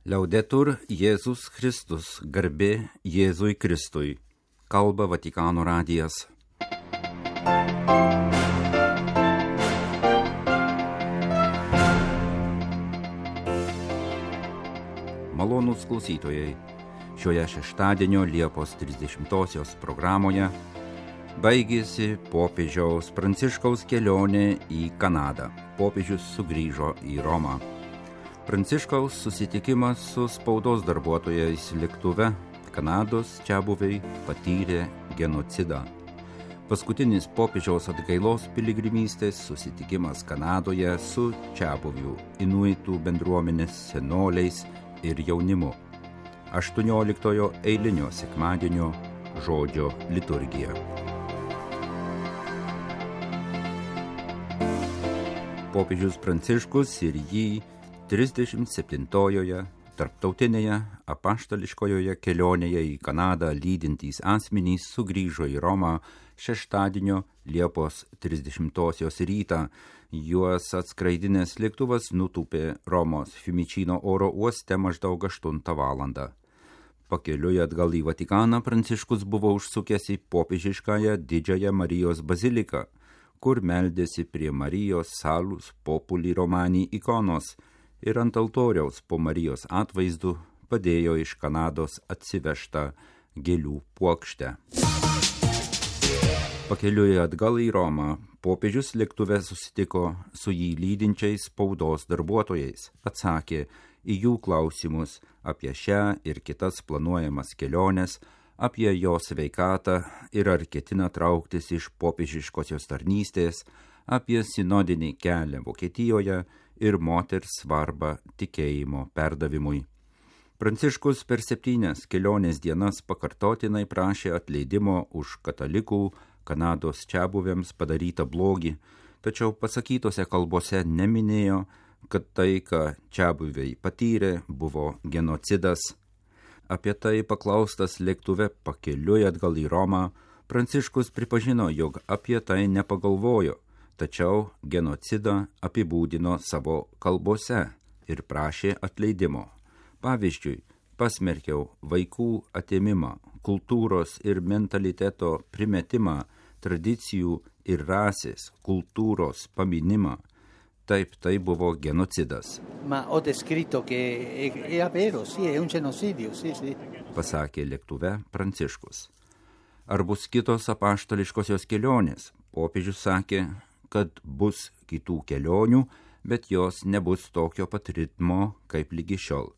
Liaudetur Jėzus Kristus, garbė Jėzui Kristui, kalba Vatikano radijas. Malonūs klausytojai, šioje šeštadienio Liepos 30-osios programoje baigėsi popiežiaus Pranciškaus kelionė į Kanadą. Popiežius sugrįžo į Romą. Pranciškaus susitikimas su spaudos darbuotojais lėktuve Kanados čiabuviai patyrė genocidą. Paskutinis popiežiaus atgailos piligrimystės susitikimas Kanadoje su čiabuvių inuitų bendruomenės senoliais ir jaunimu. 18 eilinio sekmadienio žodžio liturgija. Popiežius Pranciškus ir jį 37-ojoje tarptautinėje apaštališkojoje kelionėje į Kanadą lydintys asmenys sugrįžo į Romą šeštadienio Liepos 30-osios rytą. Juos atskraidinęs lėktuvas nutūpė Romos Fiumicino oro uoste maždaug 8 valandą. Pakeliui atgal į Vatikaną Pranciškus buvo užsukęs į popiežiškąją Didžiąją Marijos baziliką, kur meldėsi prie Marijos Salus Populi Romani ikonos ir ant altoriaus po Marijos atvaizdu padėjo iš Kanados atsivežtą gėlių puokštę. Pakeliui atgal į Romą popiežius lėktuve susitiko su jį lydinčiais spaudos darbuotojais, atsakė į jų klausimus apie šią ir kitas planuojamas keliones, apie jo sveikatą ir ar ketina trauktis iš popiežiškosios tarnystės, apie sinodinį kelią Vokietijoje ir moters svarbą tikėjimo perdavimui. Pranciškus per 7 kelionės dienas pakartotinai prašė atleidimo už katalikų Kanados čiabuviams padarytą blogį, tačiau pasakytose kalbose neminėjo, kad tai, ką čiabuviai patyrė, buvo genocidas. Apie tai paklaustas lėktuve pakeliui atgal į Romą, Pranciškus pripažino, jog apie tai nepagalvojo, tačiau genocidą apibūdino savo kalbose ir prašė atleidimo. Pavyzdžiui, pasmerkiau vaikų atėmimą, kultūros ir mentaliteto primetimą, tradicijų ir rasės, kultūros paminimą. Taip, tai buvo genocidas. Ma ho descritto che è vero, sì, è un genocidio, sì. Pasakė lėktuve Pranciškus. Ar bus kitos apaštališkosios kelionės? Popiežius sakė, kad bus kitų kelionių, bet jos nebus tokio pat ritmo kaip lygi šiol.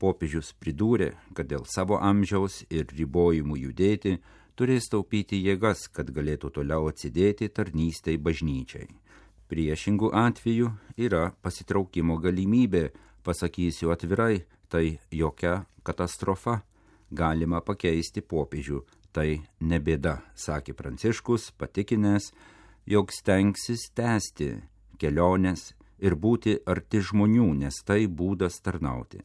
Popiežius pridūrė, kad dėl savo amžiaus ir ribojimų judėti turės taupyti jėgas, kad galėtų toliau atsidėti tarnystei bažnyčiai. Priešingų atveju yra pasitraukimo galimybė, pasakysiu atvirai, tai jokia katastrofa. Galima pakeisti popiežių, tai ne bėda, sakė Pranciškus, patikinęs, jog stengsis tęsti keliones ir būti arti žmonių, nes tai būdas tarnauti.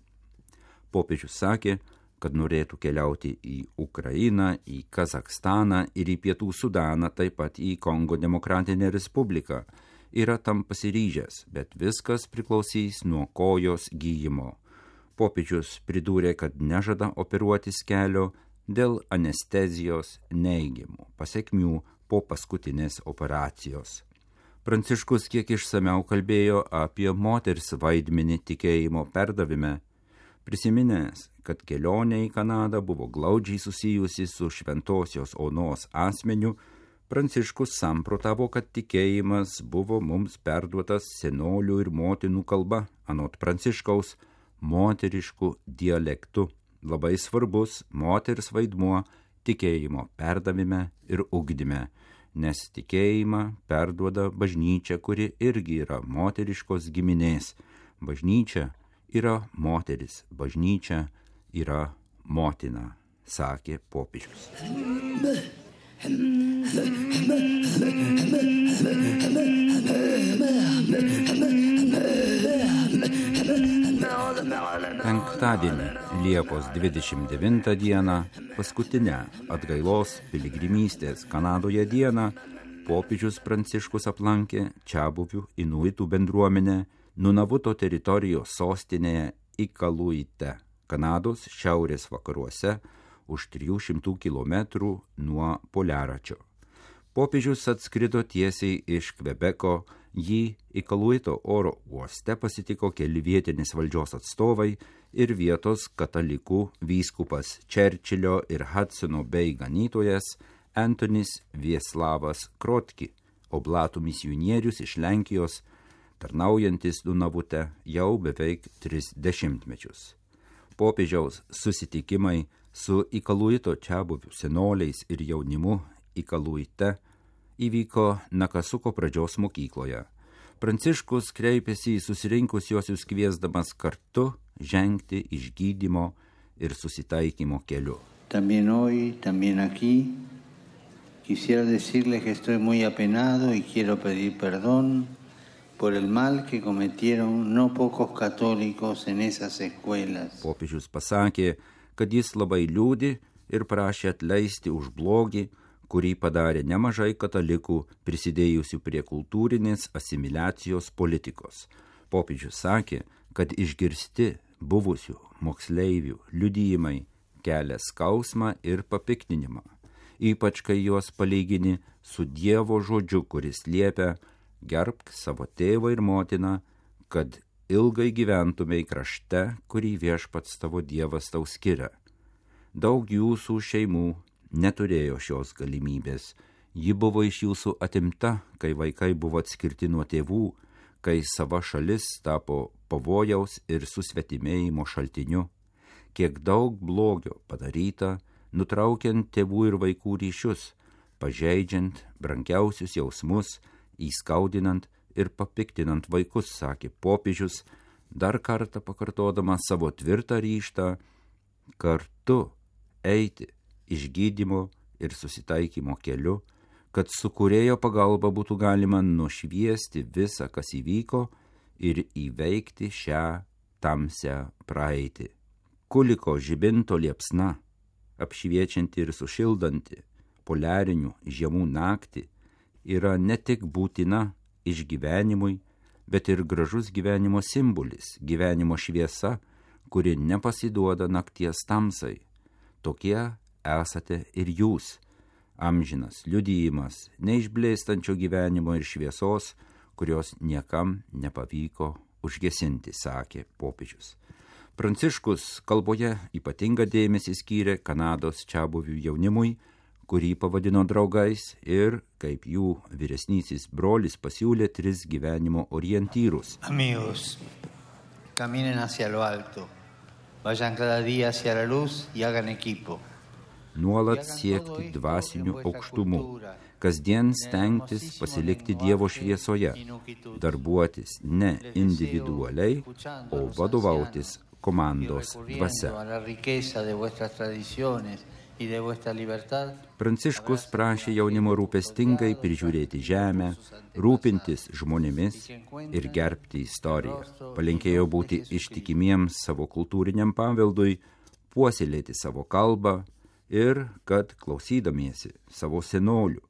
Popiežius sakė, kad norėtų keliauti į Ukrainą, į Kazakstaną ir į Pietų Sudaną, taip pat į Kongo Demokratinę Respubliką. Yra tam pasiryžęs, bet viskas priklausys nuo kojos gyjimo. Popiežius pridūrė, kad nežada operuotis kelio dėl anestezijos neigiamų pasekmių po paskutinės operacijos. Pranciškus kiek išsamiau kalbėjo apie moters vaidmenį tikėjimo perdavime, prisiminęs, kad kelionė į Kanadą buvo glaudžiai susijusi su šventosios Onos asmeniu, Pranciškus samprotavo, kad tikėjimas buvo mums perduotas senolių ir motinų kalba, anot Pranciškaus, moteriškų dialektų. Labai svarbus moters vaidmuo tikėjimo perdavime ir ugdyme, nes tikėjimą perduoda bažnyčia, kuri irgi yra moteriškos giminės. Bažnyčia yra moteris, bažnyčia yra motina, sakė popiežius. Penktadienį, Liepos 29 dieną, paskutinę atgailos piligrimystės Kanadoje dieną, popiežius Pranciškus aplankė čiabuvių inuitų bendruomenę Nunavuto teritorijos sostinėje Ikaluite, Kanados šiaurės vakaruose už 300 km nuo Poliaračio. Popiežius atskrido tiesiai iš Kvebeko, jį Ikaluito oro uoste pasitiko keli vietinės valdžios atstovai ir vietos katalikų vyskupas Čerčilio ir Hudsono bei ganytojas Antonis Vieslavas Krotki, oblatų misionierius iš Lenkijos, tarnaujantis Dunavute jau beveik 30 mečius. Popiežiaus susitikimai su Ikaluito čiabuvių senoliais ir jaunimu Ikaluite įvyko Nakasuko pradžios mokykloje. Pranciškus kreipėsi į susirinkusiuosius kviesdamas kartu žengti išgydymo ir susitaikymo keliu. También hoy, también aquí, quisiera decirles que estoy muy apenado y quiero pedir perdón por el mal que cometieron no pocos católicos en esas escuelas. Popiežius pasakė, kad jis labai liūdi ir prašė atleisti už blogį, kurį padarė nemažai katalikų prisidėjusių prie kultūrinės asimiliacijos politikos. Popiežius sakė, kad išgirsti buvusių moksleivių liudijimai kelia skausmą ir papiktinimą, ypač kai juos palygini su Dievo žodžiu, kuris liepia gerbk savo tėvą ir motiną, kad ilgai gyventumei krašte, kurį viešpats tavo Dievas tau skiria. Daug jūsų šeimų neturėjo šios galimybės. Ji buvo iš jūsų atimta, kai vaikai buvo atskirti nuo tėvų, kai sava šalis tapo pavojaus ir susvetimėjimo šaltiniu. Kiek daug blogio padaryta, nutraukiant tėvų ir vaikų ryšius, pažeidžiant brangiausius jausmus, įskaudinant ir papiktinant vaikus, sakė popiežius, dar kartą pakartodamas savo tvirtą ryžtą kartu eiti išgydymo ir susitaikymo keliu, kad su Kūrėjo pagalba būtų galima nušviesti visą, kas įvyko ir įveikti šią tamsią praeitį. Kuliko žibinto liepsna, apšviečianti ir sušildanti poliarinių žiemų naktį, yra ne tik būtina išgyvenimui, bet ir gražus gyvenimo simbolis, gyvenimo šviesa, kuri nepasiduoda nakties tamsai. Tokie esate ir jūs, amžinas liudijimas neišblėstančio gyvenimo ir šviesos, kurios niekam nepavyko užgesinti, sakė popiežius. Pranciškus kalboje ypatingą dėmesį skyrė Kanados čiabuvių jaunimui, kurį pavadino draugais ir, kaip jų vyresnysis brolis, pasiūlė 3 gyvenimo orientyrus. Amigos, caminen hacia lo alto, vayan cada día hacia la luz y hagan equipo. Nuolat siekti dvasinių aukštumų, kasdien stengtis pasilikti Dievo šviesoje, darbuotis ne individualiai, o vadovautis komandos dvasia. Pranciškus prašė jaunimo rūpestingai prižiūrėti žemę, rūpintis žmonėmis ir gerbti istoriją. Palinkėjo būti ištikimiems savo kultūriniam paveldui, puoselėti savo kalbą ir kad klausydamiesi savo senolių,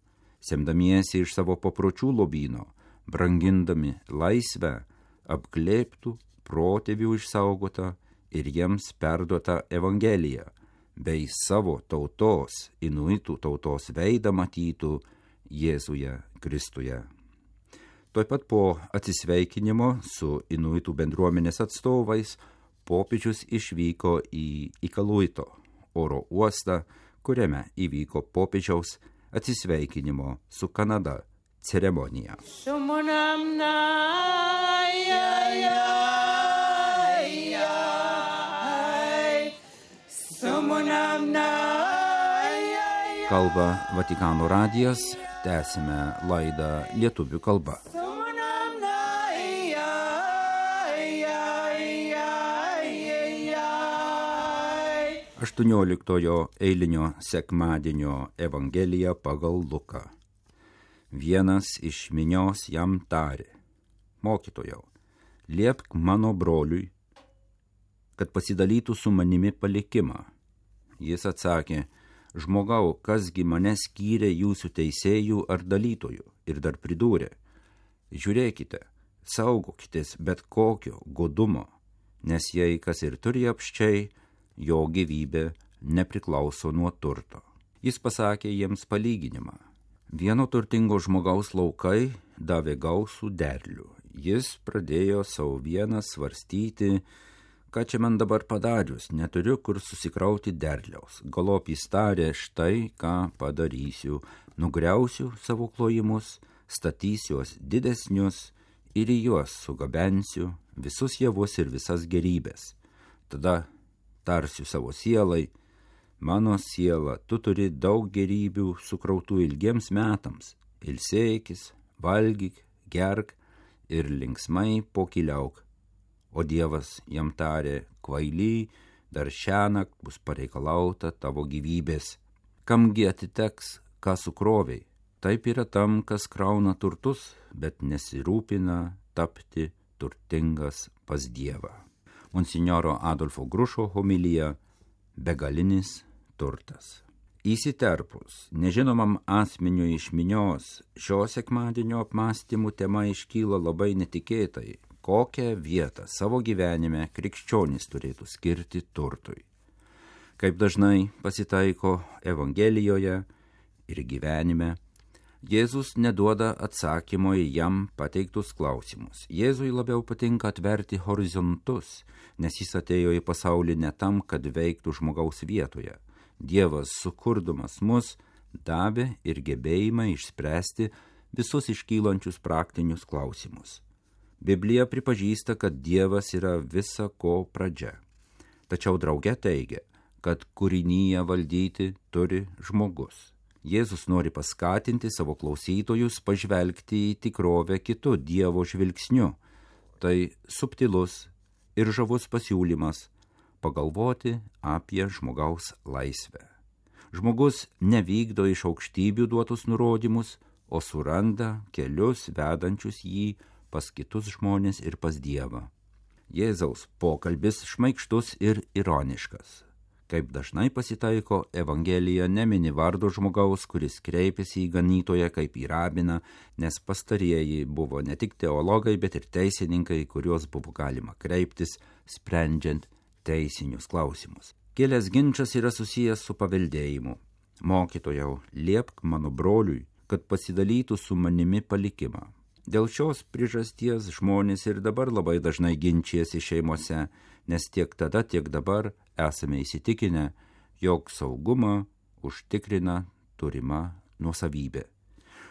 semdamiesi iš savo papročių lobyno, brangindami laisvę, apglėbtų protėvių išsaugotą ir jiems perduotą Evangeliją, bei savo tautos, inuitų tautos veidą matytų Jėzuje Kristuje. Tuoj pat po atsisveikinimo su inuitų bendruomenės atstovais popiežius išvyko į Ikaluito oro uostą, kuriame įvyko popiežiaus atsisveikinimo su Kanada ceremonija. Kalba Vatikano radijas, tęsime laidą lietuvių kalba. 18 eilinio sekmadienio Evangelija pagal Luką. Vienas iš minios jam tarė: Mokytojau, liepk mano broliui, kad pasidalytų su manimi palikimą. Jis atsakė: Žmogau, kasgi mane skyrė jūsų teisėjų ar dalytojų? Ir dar pridūrė: Žiūrėkite, saugokitės bet kokio godumo, nes jei kas ir turi apsčiai, jo gyvybė nepriklauso nuo turto. Jis pasakė jiems palyginimą. Vieno turtingo žmogaus laukai davė gausų derlių. Jis pradėjo savo vieną svarstyti, ką čia man dabar padarius, neturiu kur susikrauti derliaus. Galop jis tarė, štai ką padarysiu, nugriausiu savo klojimus, statysiuos didesnius ir į juos sugabensiu visus javus ir visas gerybės. Tada tarsiu savo sielai, mano siela, tu turi daug gerybių sukrautų ilgiems metams, ilsėkis, valgyk, gerk ir linksmai pokyliauk. O Dievas jam tarė, kvaily, dar šiąnakt bus pareikalauta tavo gyvybės. Kamgi atiteks, ką sukroviai? Taip yra tam, kas krauna turtus, bet nesirūpina tapti turtingas pas Dievą. Monsinjoro Adolfo Grušo homilija Begalinis turtas. Įsiterpus nežinomam asmeniui iš minios, šio sekmadienio apmąstymų tema iškyla labai netikėtai. Kokią vietą savo gyvenime krikščionys turėtų skirti turtui? Kaip dažnai pasitaiko Evangelijoje ir gyvenime, Jėzus neduoda atsakymo į jam pateiktus klausimus. Jėzui labiau patinka atverti horizontus, nes jis atėjo į pasaulį ne tam, kad veiktų žmogaus vietoje. Dievas, sukurdamas mus, davė ir gebėjimą išspręsti visus iškylančius praktinius klausimus. Biblija pripažįsta, kad Dievas yra visa ko pradžia. Tačiau drauge teigia, kad kūrinyje valdyti turi žmogus. Jėzus nori paskatinti savo klausytojus pažvelgti į tikrovę kitu Dievo žvilgsniu. Tai subtilus ir žavus pasiūlymas pagalvoti apie žmogaus laisvę. Žmogus nevykdo iš aukštybių duotus nurodymus, o suranda kelius vedančius jį pas kitus žmonės ir pas Dievą. Jėzaus pokalbis šmaikštus ir ironiškas. Kaip dažnai pasitaiko, Evangelija nemini vardo žmogaus, kuris kreipėsi į ganytoją kaip į rabiną, nes pastarieji buvo ne tik teologai, bet ir teisininkai, kuriuos buvo galima kreiptis, sprendžiant teisinius klausimus. Kilęs ginčas yra susijęs su paveldėjimu. Mokytojau, liepk mano broliui, kad pasidalytų su manimi palikimą. Dėl šios priežasties žmonės ir dabar labai dažnai ginčijasi šeimose, nes tiek tada, tiek dabar esame įsitikinę, jog saugumą užtikrina turima nuosavybė.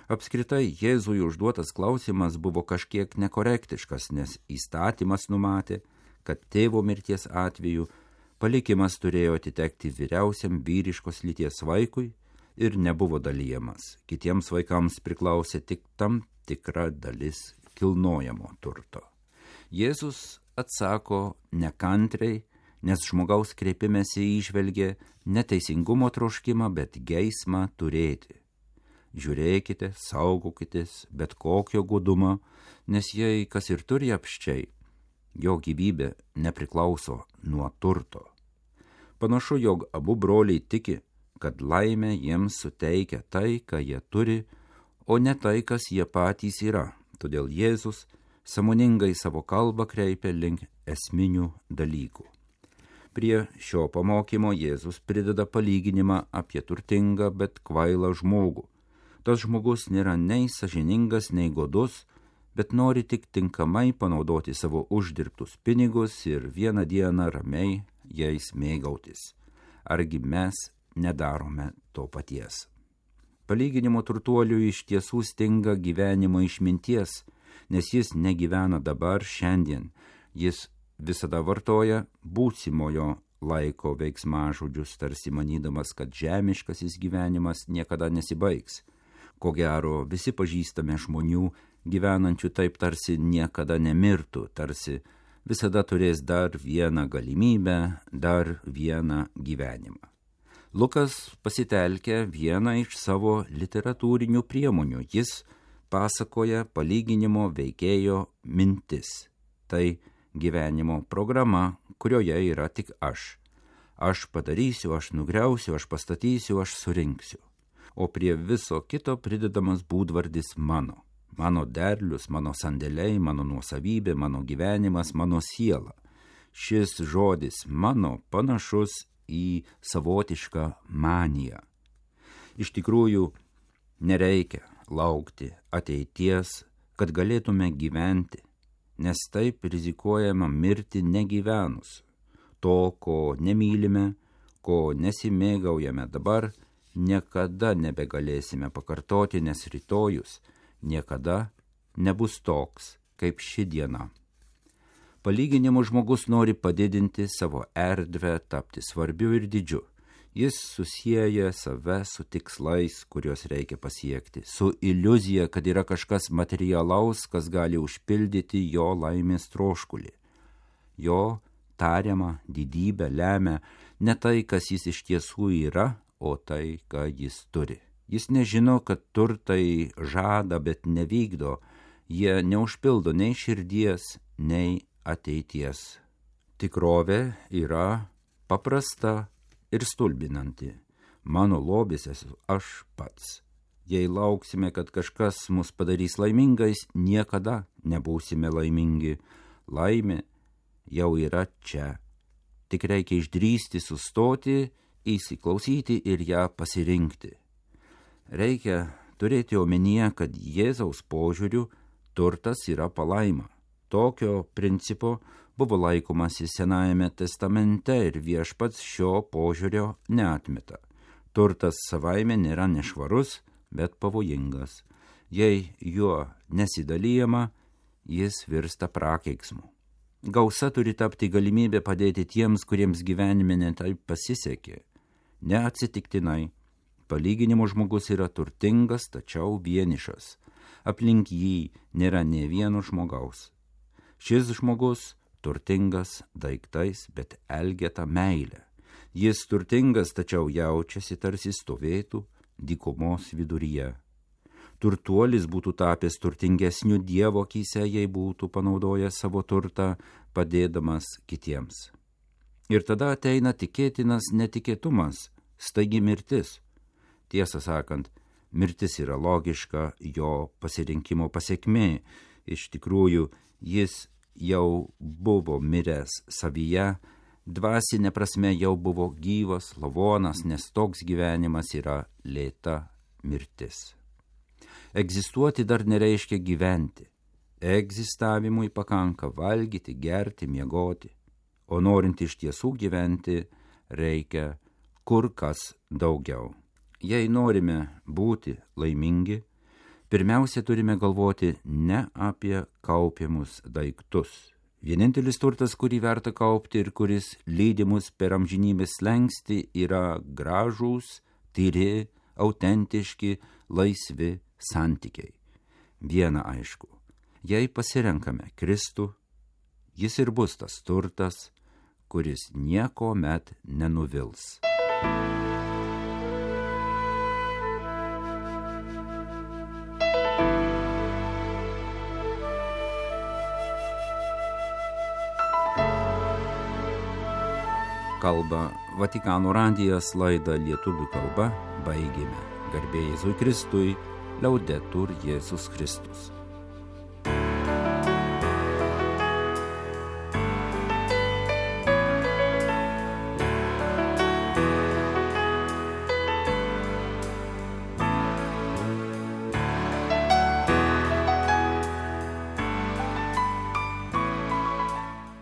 Apskritai, Jėzui užduotas klausimas buvo kažkiek nekorektiškas, nes įstatymas numatė, kad tėvo mirties atveju palikimas turėjo atitekti vyriausiam vyriškos lyties vaikui ir nebuvo dalyjamas. Kitiems vaikams priklausė tik tam tikra dalis kilnojamo turto. Jėzus atsako nekantriai, nes žmogaus kreipimėsi įžvelgė neteisingumo troškimą, bet geismą turėti. Žiūrėkite, saugokitės bet kokio godumo, nes jei kas ir turi apsčiai, jo gyvybė nepriklauso nuo turto. Panašu, jog abu broliai tiki, kad laimę jiems suteikia tai, ką jie turi, o ne tai, kas jie patys yra. Todėl Jėzus sąmoningai savo kalbą kreipia link esminių dalykų. Prie šio pamokymo Jėzus prideda palyginimą apie turtingą, bet kvailą žmogų. Tas žmogus nėra nei sąžiningas, nei godus, bet nori tik tinkamai panaudoti savo uždirbtus pinigus ir vieną dieną ramiai jais mėgautis. Argi mes nedarome to paties? Palyginimo turtuoliui iš tiesų stinga gyvenimo išminties, nes jis negyvena dabar, šiandien. Jis visada vartoja būsimojo laiko veiksmažodžius, tarsi manydamas, kad žemiškasis gyvenimas niekada nesibaigs. Ko gero, visi pažįstame žmonių, gyvenančių taip, tarsi niekada nemirtų, tarsi visada turės dar vieną galimybę, dar vieną gyvenimą. Lukas pasitelkia vieną iš savo literatūrinių priemonių. Jis pasakoja palyginimo veikėjo mintis. Tai gyvenimo programa, kurioje yra tik aš. Aš padarysiu, aš nugriausiu, aš pastatysiu, aš surinksiu. O prie viso kito pridedamas būdvardis mano. Mano derlius, mano sandėliai, mano nuosavybė, mano gyvenimas, mano siela. šis žodis mano panašus į savotišką maniją. Iš tikrųjų, nereikia laukti ateities, kad galėtume gyventi, nes taip rizikuojama mirti negyvenus. To, ko nemylime, ko nesimėgaujame dabar, niekada nebegalėsime pakartoti, nes rytojus niekada nebus toks, kaip ši diena. Palyginimu žmogus nori padidinti savo erdvę, tapti svarbiu ir didžiu. Jis susieja save su tikslais, kuriuos reikia pasiekti, su iliuzija, kad yra kažkas materialaus, kas gali užpildyti jo laimės troškulį. Jo tariamą didybę lemia ne tai, kas jis iš tiesų yra, o tai, ką jis turi. Jis nežino, kad turtai žada, bet nevykdo. Jie neužpildo nei širdies, nei ateities. Tikrovė yra paprasta ir stulbinanti. Mano lobis esu aš pats. Jei lauksime, kad kažkas mus padarys laimingais, niekada nebūsime laimingi. Laimė jau yra čia. Tik reikia išdrįsti, sustoti, įsiklausyti ir ją pasirinkti. Reikia turėti omenyje, kad Jėzaus požiūriu turtas yra palaima. Tokio principo buvo laikomasi Senajame testamente ir Viešpats šio požiūrio neatmeta. Turtas savaime nėra nešvarus, bet pavojingas. Jei juo nesidalijama, jis virsta prakeiksmu. Gausa turi tapti galimybė padėti tiems, kuriems gyvenime netaip pasisekė. Neatsitiktinai, palyginimo žmogus yra turtingas, tačiau vienišas. Aplink jį nėra nė vieno žmogaus. Šis žmogus turtingas daiktais, bet elgeta meilė. Jis turtingas, tačiau jaučiasi tarsi stovėtų dykumos viduryje. Turtuolis būtų tapęs turtingesniu Dievo akyse, jei būtų panaudojęs savo turtą, padėdamas kitiems. Ir tada ateina tikėtinas netikėtumas, staigi mirtis. Tiesą sakant, mirtis yra logiška jo pasirinkimo pasekmė. Iš tikrųjų, jis jau buvo miręs savyje, dvasinė prasme jau buvo gyvas, lavonas, nes toks gyvenimas yra lėta mirtis. Egzistuoti dar nereiškia gyventi. Egzistavimui pakanka valgyti, gerti, miegoti, o norint iš tiesų gyventi, reikia kur kas daugiau. Jei norime būti laimingi, pirmiausia turime galvoti ne apie kaupiamus daiktus. Vienintelis turtas, kurį verta kaupti ir kuris lydi mus per amžinybės slenkstį, yra gražūs, tyri, autentiški, laisvi santykiai. Viena aišku, jei pasirenkame Kristų, jis ir bus tas turtas, kuris niekuomet nenuvils. Kalba Vatikano radijas, laidą lietuvių kalba baigėme. Garbė Jėzui Kristui, Laudetur Jėzus Kristus.